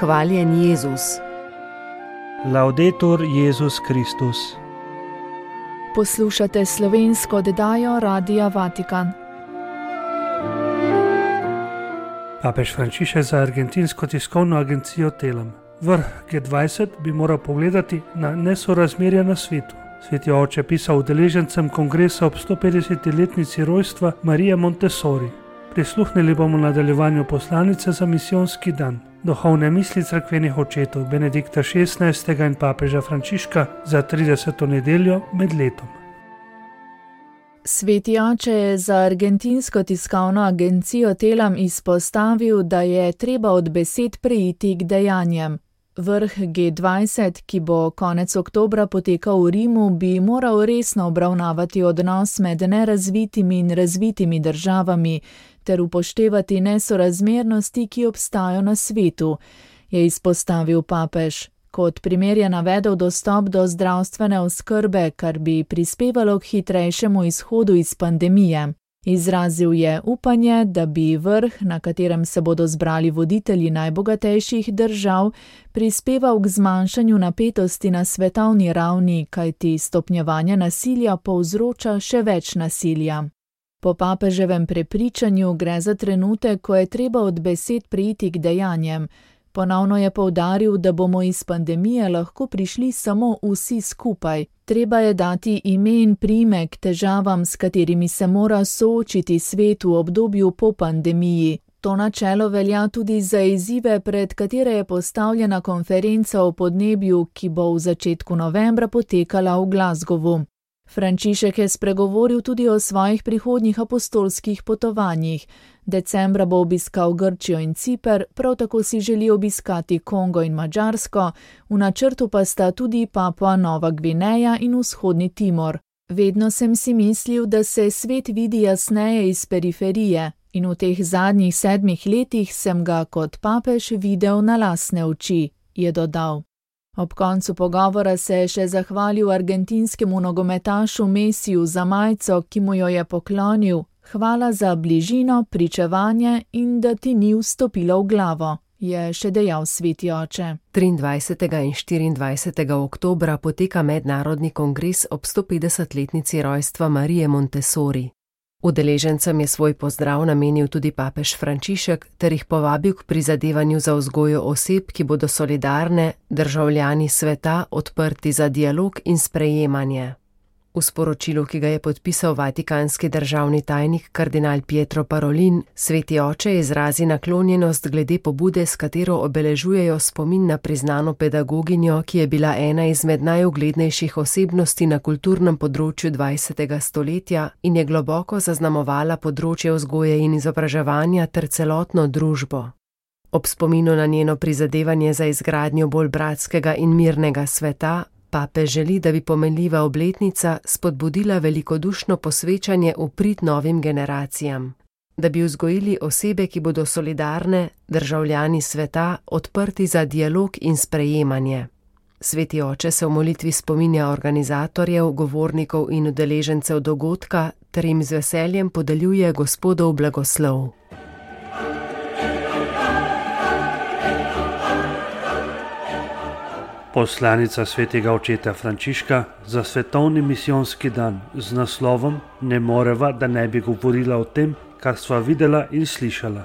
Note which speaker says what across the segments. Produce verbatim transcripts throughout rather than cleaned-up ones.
Speaker 1: Hvaljen Jezus.
Speaker 2: Laudetur Jezus Kristus.
Speaker 3: Poslušate slovensko oddajo Radia Vatikan.
Speaker 2: Papež Frančišek za argentinsko tiskovno agencijo Telam. Vrh G dvajset bi moral pogledati na nesorazmerja na svetu. Sveti oče pisal udeležencem kongresa ob sto petdesetletnici rojstva Marije Montessori. Prisluhnili bomo nadaljevanju poslanice za misijonski dan, duhovne misli cerkvenih očetov Benedikta šestnajstega in papeža Frančiška za trideseto nedeljo med letom.
Speaker 3: Sveti oče je za argentinsko tiskovno agencijo Telam izpostavil, da je treba od besed preiti k dejanjem. Vrh G dvajset, ki bo konec oktobra potekal v Rimu, bi moral resno obravnavati odnos med nerazvitimi in razvitimi državami ter upoštevati nesorazmernosti, ki obstajajo na svetu, je izpostavil papež. Kot primer je navedel dostop do zdravstvene oskrbe, kar bi prispevalo k hitrejšemu izhodu iz pandemije. Izrazil je upanje, da bi vrh, na katerem se bodo zbrali voditelji najbogatejših držav, prispeval k zmanjšanju napetosti na svetovni ravni, kajti stopnjevanje nasilja povzroča še več nasilja. Po papeževem prepričanju gre za trenutek, ko je treba od besed preiti k dejanjem. Ponovno je poudaril, da bomo iz pandemije lahko prišli samo vsi skupaj. Treba je dati ime in priimek težavam, s katerimi se mora soočiti svet v obdobju po pandemiji. To načelo velja tudi za izzive, pred katere je postavljena konferenca o podnebju, ki bo v začetku novembra potekala v Glasgowu. Frančišek je spregovoril tudi o svojih prihodnjih apostolskih potovanjih. Decembra bo obiskal Grčijo in Ciper, prav tako si želi obiskati Kongo in Madžarsko, v načrtu pa sta tudi Papua Nova Gvineja in Vzhodni Timor. Vedno sem si mislil, da se svet vidi jasneje iz periferije in v teh zadnjih sedmih letih sem ga kot papež videl na lastne oči, je dodal. Ob koncu pogovora se je še zahvalil argentinskemu nogometašu Mesiju za majico, ki mu jo je poklonil. Hvala za bližino, pričevanje in da ti ni vstopilo v glavo, je še dejal sveti oče.
Speaker 1: triindvajsetega in štiriindvajsetega oktobra poteka mednarodni kongres ob sto petdesetletnici rojstva Marije Montessori. Udeležencem je svoj pozdrav namenil tudi papež Frančišek ter jih povabil k prizadevanju za vzgojo oseb, ki bodo solidarne, državljani sveta, odprti za dialog in sprejemanje. V sporočilu, ki ga je podpisal vatikanski državni tajnik kardinal Pietro Parolin, sveti oče izrazi naklonjenost glede pobude, s katero obeležujejo spomin na priznano pedagoginjo, ki je bila ena izmed najuglednejših osebnosti na kulturnem področju dvajsetega stoletja in je globoko zaznamovala področje vzgoje in izobraževanja ter celotno družbo. Ob spominu na njeno prizadevanje za izgradnjo bolj bratskega in mirnega sveta, papež želi, da bi pomenljiva obletnica spodbudila velikodušno posvečanje v prid novim generacijam, da bi vzgojili osebe, ki bodo solidarne, državljani sveta, odprti za dialog in sprejemanje. Sveti oče se v molitvi spominja organizatorjev, govornikov in udeležencev dogodka ter jim z veseljem podeljuje Gospodov blagoslov.
Speaker 2: Poslanica svetega očeta Frančiška za svetovni misijonski dan z naslovom Ne moreva, da ne bi govorila o tem, kar sva videla in slišala.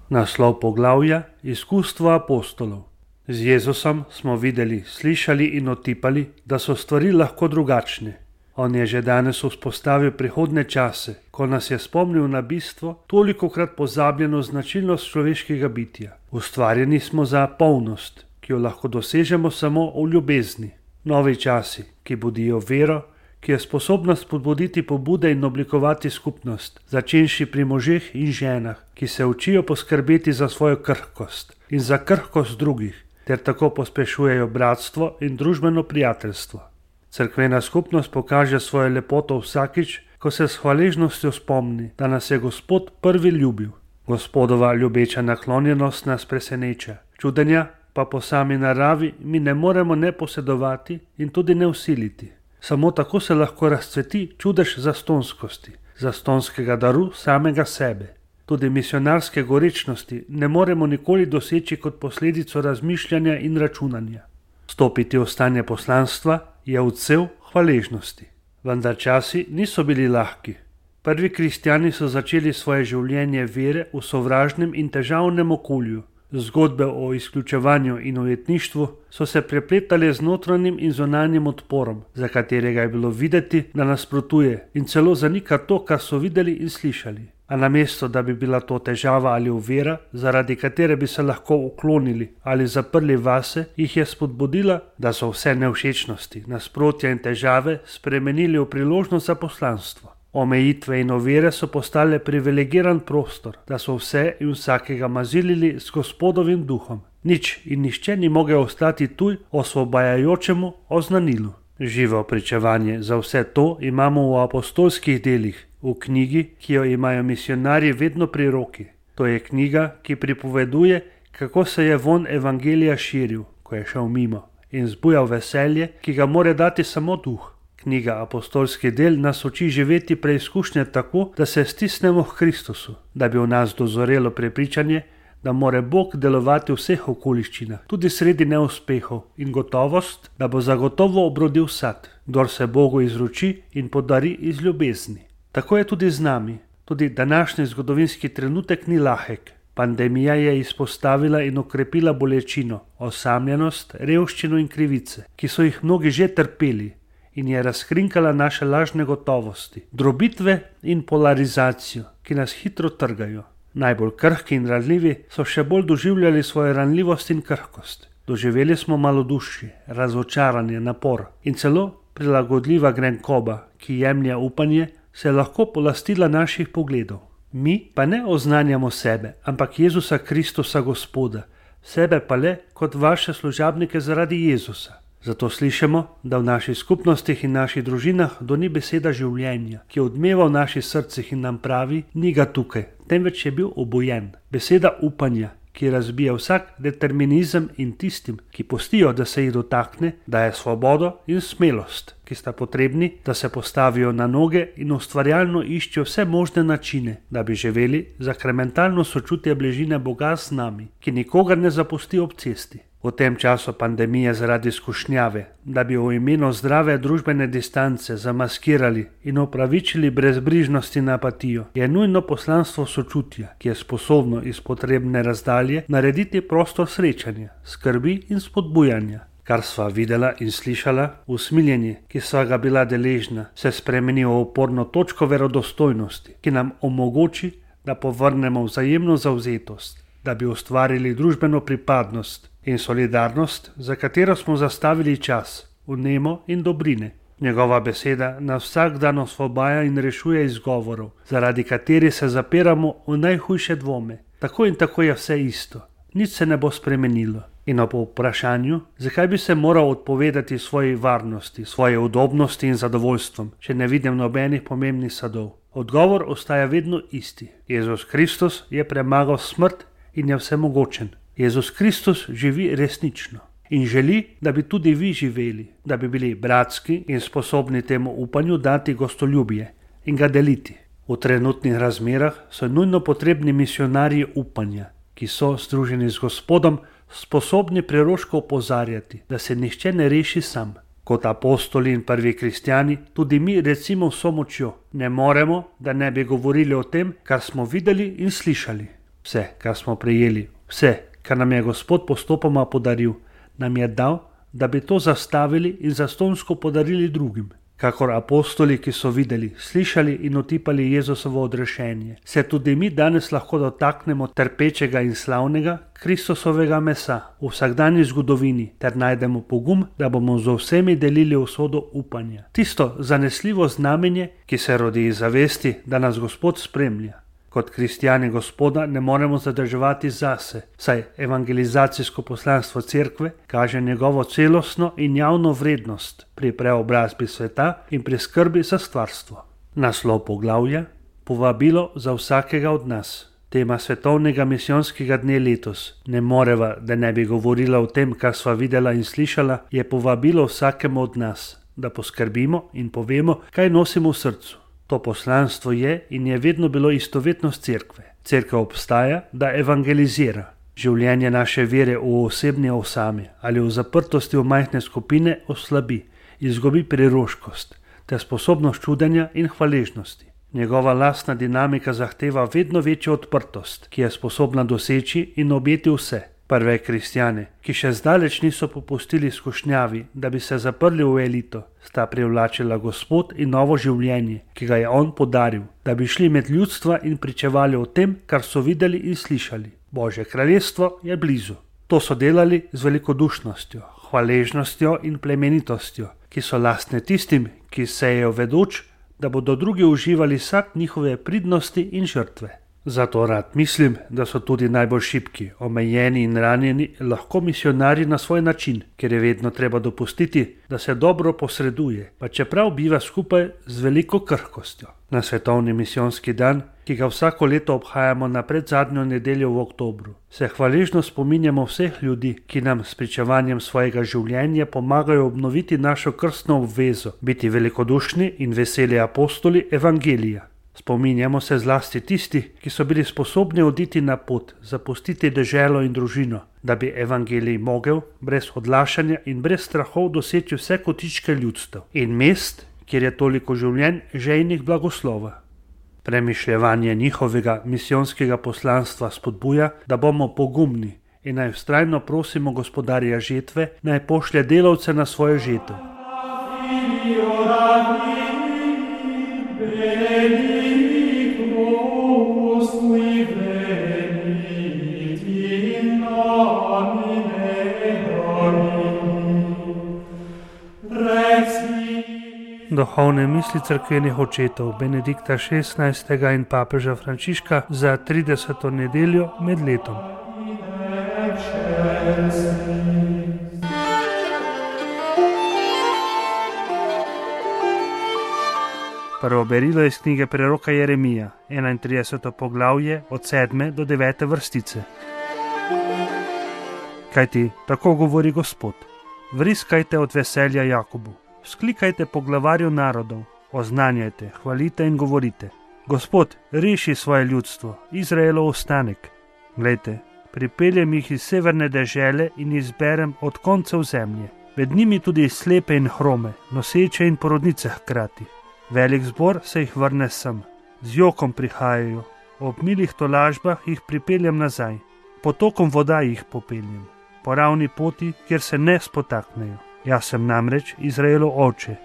Speaker 2: Naslov poglavja Izkustvo apostolov. Z Jezusom smo videli, slišali in otipali, da so stvari lahko drugačne. On je že danes vzpostavil prihodne čase, ko nas je spomnil na bistvo, tolikokrat pozabljeno značilnost človeškega bitja. Ustvarjeni smo za polnost, ki jo lahko dosežemo samo v ljubezni. Novi časi, ki budijo vero, ki je sposobna spodbuditi pobude in oblikovati skupnost, začenši pri možeh in ženah, ki se učijo poskrbeti za svojo krhkost in za krhkost drugih, ter tako pospešujejo bratstvo in družbeno prijateljstvo. Cerkvena skupnost pokaže svojo lepoto vsakič, ko se s hvaležnostjo spomni, da nas je Gospod prvi ljubil. Gospodova ljubeča naklonjenost nas preseneča. Čudenja pa po sami naravi mi ne moremo ne posedovati in tudi ne vsiliti. Samo tako se lahko razcveti čudež zastonskosti, zastonskega daru samega sebe. tudi misionarske gorečnosti ne moremo nikoli doseči kot posledico razmišljanja in računanja. Stopiti v stanje poslanstva je odsev hvaležnosti. Vendar časi niso bili lahki. Prvi kristjani so začeli svoje življenje vere v sovražnem in težavnem okolju. Zgodbe o izključevanju in ujetništvu so se prepletale z notranjim in zunanjim odporom, za katerega je bilo videti, da nasprotuje in celo zanika to, kar so videli in slišali. A namesto, da bi bila to težava ali ovira, zaradi katere bi se lahko uklonili ali zaprli vase, jih je spodbudila, da so vse nevšečnosti, nasprotja in težave spremenili v priložnost za poslanstvo. Omejitve in ovire so postale privilegiran prostor, da so vse in vsakega mazilili s Gospodovim duhom. Nič in nišče ni mogel ostati tuj osvobajajočemu oznanilu. Živo pričevanje za vse to imamo v apostolskih delih, v knjigi, ki jo imajo misionarji vedno pri roki. To je knjiga, ki pripoveduje, kako se je von evangelija širil, ko je šel mimo, in zbujal veselje, ki ga more dati samo duh. Knjiga Apostolski del nas uči živeti preizkušnje tako, da se stisnemo k Kristusu, da bi v nas dozorelo prepričanje, da more Bog delovati v vseh okoliščinah, tudi sredi neuspehov, in gotovost, da bo zagotovo obrodil sad, kdor se Bogu izroči in podari iz ljubezni. Tako je tudi z nami. Tudi današnji zgodovinski trenutek ni lahek. Pandemija je izpostavila in okrepila bolečino, osamljenost, revščino in krivice, ki so jih mnogi že trpeli, in je razkrinkala naše lažne gotovosti, drobitve in polarizacijo, ki nas hitro trgajo. Najbolj krhki in ranljivi so še bolj doživljali svojo ranljivost in krhkost. Doživeli smo malodušje, razočaranje, napor in celo prilagodljiva grenkoba, ki jemlje upanje, se je lahko polastila naših pogledov. Mi pa ne oznanjamo sebe, ampak Jezusa Kristusa Gospoda, sebe pa le kot vaše služabnike zaradi Jezusa. Zato slišimo, da v naših skupnostih in naših družinah doni beseda življenja, ki odmeva v naših srcih in nam pravi, ni ga tukaj, temveč je bil obojen. Beseda upanja, ki razbija vsak determinizem in tistim, ki pustijo, da se jih dotakne, daje svobodo in smelost, ki sta potrebni, da se postavijo na noge in ustvarjalno iščejo vse možne načine, da bi živeli zakramentalno sočutje bližine Boga z nami, ki nikogar ne zapusti ob cesti. V tem času pandemije zaradi skušnjave, da bi v imenu zdrave družbene distance zamaskirali in opravičili brezbrižnost in apatijo, je nujno poslanstvo sočutja, ki je sposobno iz potrebne razdalje narediti prostor srečanja, skrbi in spodbujanja. Kar sva videla in slišala, usmiljenje, ki sva ga bila deležna, se spremeni v oporno točko verodostojnosti, ki nam omogoči, da povrnemo vzajemno zavzetost, da bi ustvarili družbeno pripadnost in solidarnost, za katero smo zastavili čas, vnemo in dobrine. Njegova beseda nas vsak dan osvobaja in rešuje izgovorov, zaradi katerih se zapiramo v najhujše dvome. Tako in tako je vse isto, nič se ne bo spremenilo. In ob vprašanju, zakaj bi se moral odpovedati svoji varnosti, svoje udobnosti in zadovoljstvom, če ne vidim nobenih pomembnih sadov, odgovor ostaja vedno isti. Jezus Kristus je premagal smrt in je vsemogočen. Jezus Kristus živi resnično in želi, da bi tudi vi živeli, da bi bili bratski in sposobni temu upanju dati gostoljubje in ga deliti. V trenutnih razmerah so nujno potrebni misionarji upanja, ki so, združeni z Gospodom, sposobni preroško opozarjati, da se nihče ne reši sam. Kot apostoli in prvi kristjani, tudi mi recimo vso močjo ne moremo, da ne bi govorili o tem, kar smo videli in slišali. Vse, kar smo prejeli, vse, kar nam je Gospod postopoma podaril, nam je dal, da bi to zastavili in zastonjsko podarili drugim. Kakor apostoli, ki so videli, slišali in otipali Jezusovo odrešenje, se tudi mi danes lahko dotaknemo trpečega in slavnega Kristusovega mesa v vsakdanji zgodovini ter najdemo pogum, da bomo z vsemi delili usodo upanja. Tisto zanesljivo znamenje, ki se rodi iz zavesti, da nas Gospod spremlja. Kot kristjani Gospoda ne moremo zadrževati zase, saj evangelizacijsko poslanstvo cerkve kaže njegovo celostno in javno vrednost pri preobrazbi sveta in pri skrbi za stvarstvo. Naslov poglavja: Povabilo za vsakega od nas. Tema svetovnega misijonskega dne letos, ne moreva, da ne bi govorila o tem, kar sva videla in slišala, je povabilo vsakemu od nas, da poskrbimo in povemo, kaj nosimo v srcu. To poslanstvo je in je vedno bilo istovetnost cerkve. Cerkev obstaja, da evangelizira. Življenje naše vere v osebni osami ali v zaprtosti v majhne skupine oslabi, izgubi priroškost ter sposobnost čudenja in hvaležnosti. Njegova lastna dinamika zahteva vedno večjo odprtost, ki je sposobna doseči in objeti vse. Prve kristjane, ki še zdaleč niso popustili skušnjavi, da bi se zaprli v elito, sta privlačila Gospod in novo življenje, ki ga je on podaril, da bi šli med ljudstva in pričevali o tem, kar so videli in slišali. Božje kraljestvo je blizu. To so delali z velikodušnostjo, hvaležnostjo in plemenitostjo, ki so lastne tistim, ki sejejo vedoč, da bodo drugi uživali sad njihove pridnosti in žrtve. Zato rad mislim, da so tudi najbolj šibki, omejeni in ranjeni lahko misionarji na svoj način, ker je vedno treba dopustiti, da se dobro posreduje, pa čeprav biva skupaj z veliko krhkostjo. Na svetovni misijonski dan, ki ga vsako leto obhajamo na predzadnjo nedeljo v oktobru, se hvaležno spominjamo vseh ljudi, ki nam s pričevanjem svojega življenja pomagajo obnoviti našo krstno obvezo, biti velikodušni in veseli apostoli evangelija. Spominjamo se zlasti tistih, ki so bili sposobni oditi na pot, zapustiti deželo in družino, da bi evangelij mogel brez odlašanja in brez strahov doseči vse kotičke ljudstev in mest, kjer je toliko življenj žejnih blagoslova. Premišljevanje njihovega misijonskega poslanstva spodbuja, da bomo pogumni in naj vztrajno prosimo gospodarja žetve, naj pošlje delavce na svojo žetev. Duhovne misli cerkvenih očetov Benedikta šestnajstega in papeža Frančiška za trideseto nedeljo med letom. Prvo berilo iz knjige preroka Jeremija, enaintrideseto poglavje od sedme do devete vrstice. Kajti tako govori Gospod: vriskajte od veselja Jakobu. Sklikajte po glavarju narodov, oznanjajte, hvalite in govorite: Gospod, reši svoje ljudstvo, Izraelov ostanek. Glejte, pripeljem jih iz severne dežele in izberem od koncev zemlje, med njimi tudi slepe in hrome, noseče in porodnice hkrati. Velik zbor se jih vrne sem, z jokom prihajajo, ob milih tolažbah jih pripeljem nazaj, potokom voda jih popeljem, po ravni poti, kjer se ne spotaknejo. Jaz sem namreč Izraelov oče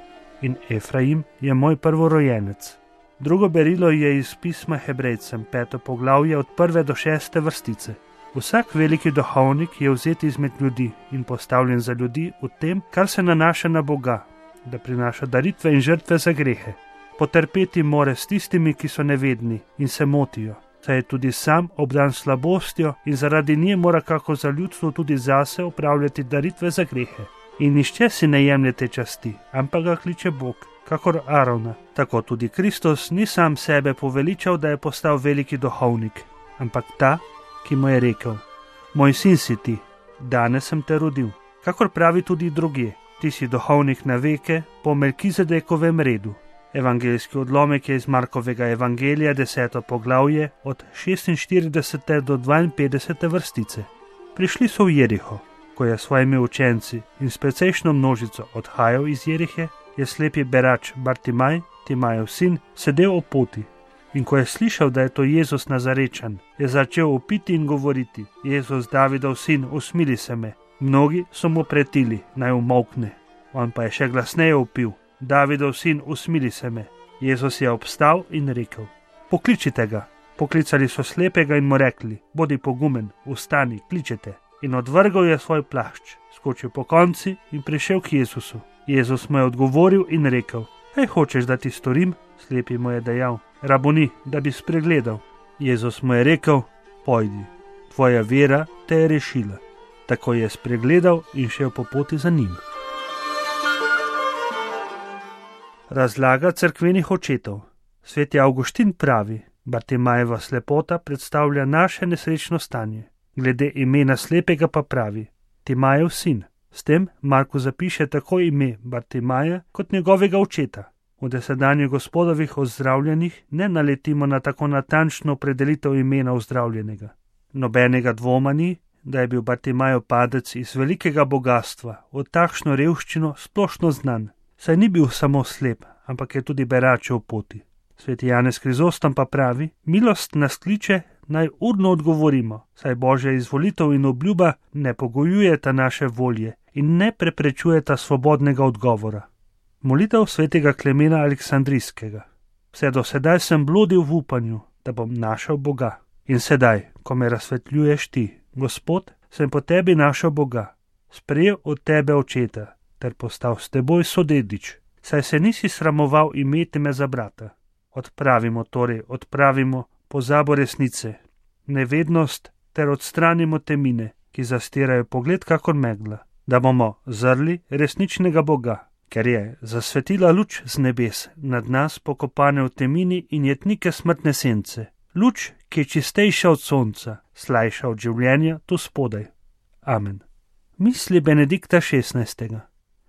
Speaker 2: in Efraim je moj prvorojenec. Drugo berilo je iz pisma Hebrejcem, peto poglavje od prve do šeste vrstice. Vsak veliki duhovnik je vzet izmed ljudi in postavljen za ljudi v tem, kar se nanaša na Boga, da prinaša daritve in žrtve za grehe. Potrpeti more s tistimi, ki so nevedni in se motijo, saj je tudi sam obdan slabostjo in zaradi nje mora kako za ljudstvo tudi zase opravljati daritve za grehe. In nišče si ne jemljete časti, ampak ga kliče Bog, kakor Arona. Tako tudi Kristus ni sam sebe poveličal, da je postal veliki duhovnik, ampak ta, ki mu je rekel: moj sin si ti, danes sem te rodil. Kakor pravi tudi drugje: ti si duhovnik na veke po Melkizedekovem redu. Evangeljski odlomek je iz Markovega evangelija, deseto poglavje, od šestinštiridesete do dvainpetdesete vrstice. Prišli so v Jeriho. Ko je s svojimi učenci in s precejšno množico odhajal iz Jerihe, je slepi berač Bartimaj, Timajev sin, sedel ob poti. In ko je slišal, da je to Jezus Nazarečan, je začel vpiti in govoriti: Jezus, Davidov sin, usmili se me. Mnogi so mu pretili, naj umolkne. On pa je še glasneje vpil: Davidov sin, usmili se me. Jezus je obstal in rekel: pokličite ga. Poklicali so slepega in mu rekli: bodi pogumen, vstani, kličete. In odvrgal je svoj plašč, skočil po konci in prišel k Jezusu. Jezus mu je odgovoril in rekel: kaj hočeš, da ti storim? Slepi mu je dejal: raboni, da bi spregledal. Jezus mu je rekel: pojdi, tvoja vera te je rešila. Tako je spregledal in šel po poti za njim. Razlaga cerkvenih očetov. Sveti Avguštin pravi: Bartimajeva slepota predstavlja naše nesrečno stanje. Glede imena slepega pa pravi: Timajev sin. S tem Marko zapiše tako ime Bartimaja kot njegovega očeta. V desedanjih Gospodovih ozdravljenih ne naletimo na tako natančno opredelitev imena ozdravljenega. Nobenega dvoma ni, da je bil Bartimajev padec iz velikega bogatstva v takšno revščino splošno znan, saj ni bil samo slep, ampak je tudi berač v poti. Sveti Janez Krizostom pa pravi: milost nas kliče, naj urno odgovorimo, saj Božja izvolitev in obljuba ne pogojujeta naše volje in ne preprečujeta svobodnega odgovora. Molitev svetega Klemena Aleksandrijskega. Vse do sedaj sem blodil v upanju, da bom našel Boga. In sedaj, ko me razsvetljuješ ti, Gospod, sem po tebi našel Boga, sprejel od tebe očeta, ter postal s teboj sodedič, saj se nisi sramoval imeti me za brata. Odpravimo torej, odpravimo pozabo resnice, nevednost ter odstranimo temine, ki zastirajo pogled kakor megla, da bomo zrli resničnega Boga, ker je zasvetila luč z nebes nad nas pokopane v temini in jetnike smrtne sence, luč, ki je čistejša od sonca, slajša od življenja tu spodaj. Amen. Misli Benedikta šestnajstega.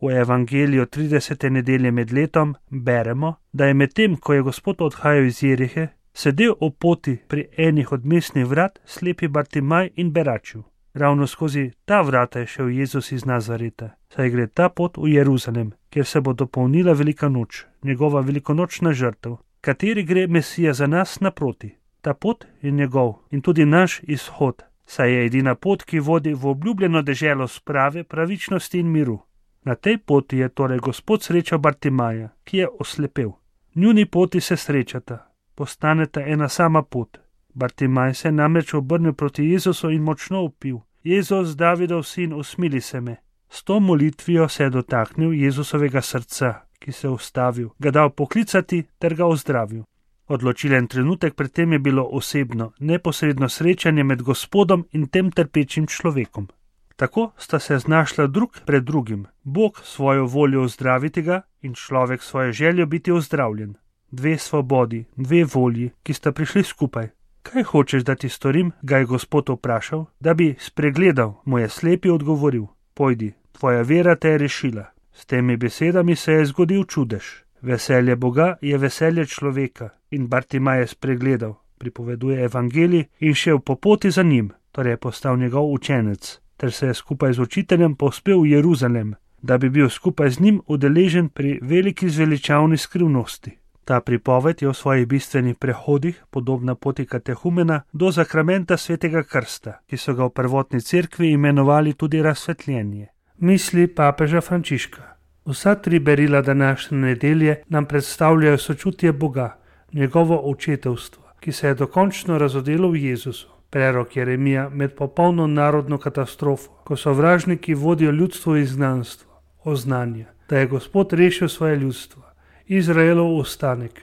Speaker 2: V evangeliju tridesete nedelje med letom beremo, da je medtem, ko je Gospod odhajal iz Jerihe, sedel ob poti pri enih od mestnih vrat slepi Bartimaj in beračil. Ravno skozi ta vrata je šel Jezus iz Nazareta, saj gre ta pot v Jeruzalem, kjer se bo dopolnila velika noč, njegova velikonočna žrtev, kateri gre Mesija za nas naproti. Ta pot je njegov in tudi naš izhod, saj je edina pot, ki vodi v obljubljeno deželo sprave, pravičnosti in miru. Na tej poti je torej Gospod srečal Bartimaja, ki je oslepel. Njuni poti se srečata, postaneta ena sama pot. Bartimaj se je namreč obrnil proti Jezusu in močno vpil: Jezus, Davidov sin, usmili se me. S to molitvijo se je dotaknil Jezusovega srca, ki se je ustavil, ga dal poklicati ter ga ozdravil. Odločilen trenutek pred tem je bilo osebno, neposredno srečanje med Gospodom in tem trpečim človekom. Tako sta se znašla drug pred drugim, Bog svojo voljo ozdraviti ga in človek svojo željo biti ozdravljen. Dve svobodi, dve volji, ki sta prišli skupaj. Kaj hočeš, da ti storim, ga je Gospod vprašal, da bi spregledal, mu je slepi odgovoril: pojdi, tvoja vera te je rešila. S temi besedami se je zgodil čudež. Veselje Boga je veselje človeka in Bartimaj je spregledal, pripoveduje evangelij, in šel po poti za njim, torej je postal njegov učenec, ter se je skupaj z učiteljem povzpel v Jeruzalem, da bi bil skupaj z njim udeležen pri veliki zveličavni skrivnosti. Ta pripoved je v svojih bistvenih prehodih podobna poti katehumena do zakramenta svetega krsta, ki so ga v prvotni cerkvi imenovali tudi razsvetljenje. Misli papeža Frančiška. Vsa tri berila današnje nedelje nam predstavljajo sočutje Boga, njegovo očetovstvo, ki se je dokončno razodelo v Jezusu. Prerok Jeremija med popolno narodno katastrofo, ko sovražniki vodijo ljudstvo v izgnanstvo, oznanja, da je Gospod rešil svoje ljudstvo, Izraelov ostanek.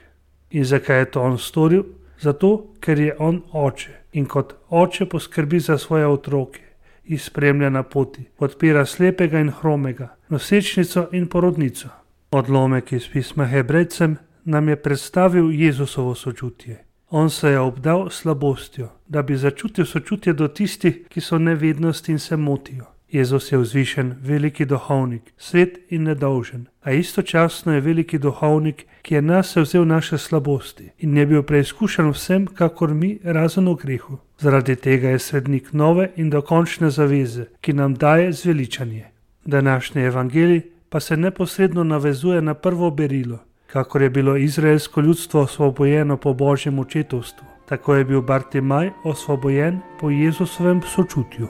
Speaker 2: In zakaj je to on storil? Zato, ker je on oče in kot oče poskrbi za svoje otroke, jih spremlja na poti, podpira slepega in hromega, nosečnico in porodnico. Odlomek iz pisma Hebrejcem nam je predstavil Jezusovo sočutje. On se je obdal slabostjo, da bi začutil sočutje do tistih, ki so nevednosti in se motijo. Jezus je vzvišen, veliki duhovnik, svet in nedolžen, a istočasno je veliki duhovnik, ki je nase vzel naše slabosti in je bil preizkušen vsem, kakor mi, razen v grehu. Zaradi tega je svetnik nove in dokončne zaveze, ki nam daje zveličanje. Današnji evangelij pa se neposredno navezuje na prvo berilo. Kakor je bilo izraelsko ljudstvo osvobojeno po Božjem očetovstvu, tako je bil Bartimaj osvobojen po Jezusovem sočutju.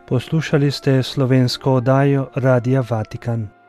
Speaker 4: Poslušali ste slovensko oddajo Radia Vatikan.